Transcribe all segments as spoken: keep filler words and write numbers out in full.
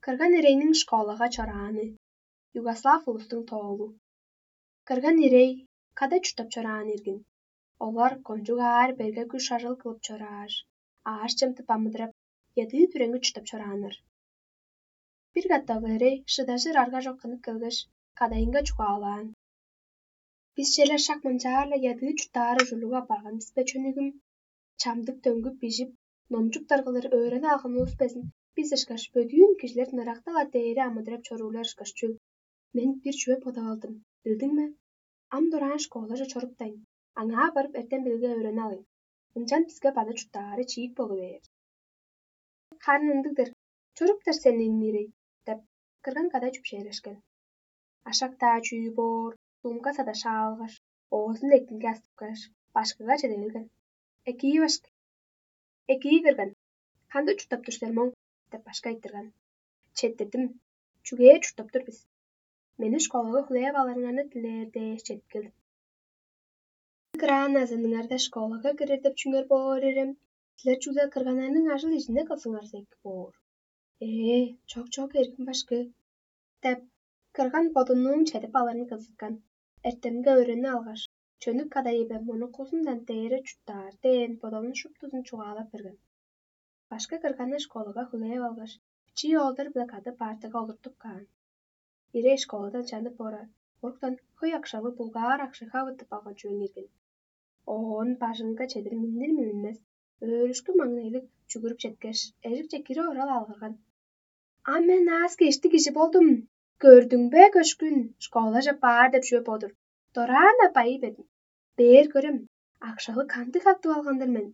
Кырган ирейниң школага чорааны. Югослав улустуң тоолу. Кырган ирей када чурттап чораан иргин. Олар кончуг аар берге күш ажыл кылып чорааш, ааш-чем тып амыдырап, ядыы-түреңги чурттап чорааннар. Бир катап ирей шыдажыр арга чок кынып келгеш, кадайынга чугаалаан: «Бис черле шак мынчаар-ла ядыы чурттаары ужурлуг апарган бис бе, чөнүгүм? Чамдык дөңгүп бижип, номчуптар кылыр өөренип алган улус безин бис ышкаш бөдүүн кижилер ынырактал-ла дээри амыдырап чоруурлар ышкаш чүл. Мен бир чүве бодап алдым, билдиң бе? Ам дораан школаже чоруптайн, аңаа барып эртем билиге өөренип алыйн. Ынчан биске база чурттаары чиик болу бээр». «Харын ындыг-дыр, чоруптар сени, иңнирей», — деп, кырган кадай чүпшээрешкен. Ашак-даа чүү боор, сумка садашаалгаш, оозун эктинге астыпкаш, башкыга чеде берген. «Экии, башкы, экии, кырган, кандыг чурттап тур силер моң?» — деп, башкы айтырган. «Четтирдим, чүгээр чурттап тур бис. Мени школага хүлээп алырыңарны дилээр дээш чедип келдим». «Граназыныңарда школага кирер деп чүңер боор ирем, силер чүгле кырганнарның ажыл-ижине кылсыңарза эки боор». «Ээ, чок-чок, эргим башкы», — деп, кырган бодунуң чедип алырын кызыткан. Эртемге өөрени алгаш, чөнүк кадайы бе мунукузундан дээре чурттаар дээн бодалын шуптузун чугаалап берген. Башкы кырганны школага хүлээп алгаш, бичии оолдар-биле кады партага олуртуп каан. Ирей школадан чанып орар, оруктан хөй акшалыг булгаар акша хавыттып алган чүвең ирген. Оон бажыңынга чедир миннир-миннинмес, өөрүшкү маңнайлыг чүгүрүп четкеш, эжикче кире орал алгырган: «А мен аас-кежиктиг кижи болдум. Көрдүң бе, көшкүн, школаже баар деп чүве бо-дур. Дораан-на байый бердим. Бээр көрем, акшалыг кандыг хавыттып алган-дыр мен.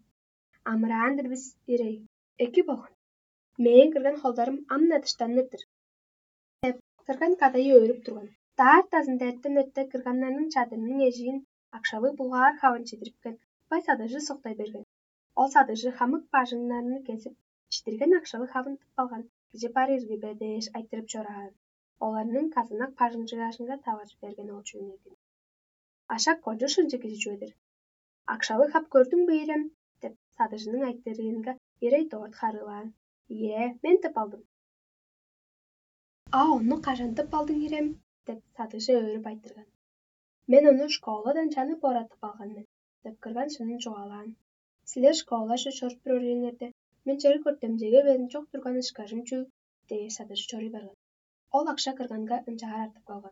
Амыраан-дыр бис, ирей. Эки болган. Мээң кырган холдарым ам-на дыштаныр-дыр», — деп, кырган кадайы өөрүп турган. Даартазында эртен эрте кырганнарның чадырының эжиин акшалыг булгаар хавын чедирипкен, бай садыжы соктай берген. Ол садыжы хамык бажыңнарны кезип, чидирген акшалыг хавын тып алган кижи бар ирги бе дээш айтырып чораан. Оларның казанак бажыңчыгажынга таваржы берген ол чүвең иргин. «Ашак кончуг шынчы кижи чүве-дир. Акшалыг хап көрдүң бе, ирем?» — деп, садыжының айтырыынга, ирей дорт харыылаан: «Ийе, мен тып алдым». «А ону кажан тып алдың, ирем?» — деп, садыжы өөрүп айтырган. «Мен ону школадан чанып оратып алган мен», — деп, кырган шынын чугаалаан. «Силер школаже чоруп турар үеңерде, мен чер көртемчеге безин чок турган ышкажым чүл?» — дээш, садыжы чоруй барган. Ол акша кырганга ынчаар артып калган.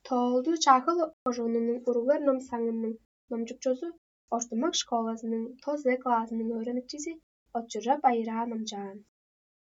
Тоолду Чаагыл кожуунунуң уруглар ном саңының номчукчузу, ортумак школазының тос классының өөреникчизи Отчужап Айыраа номчаан.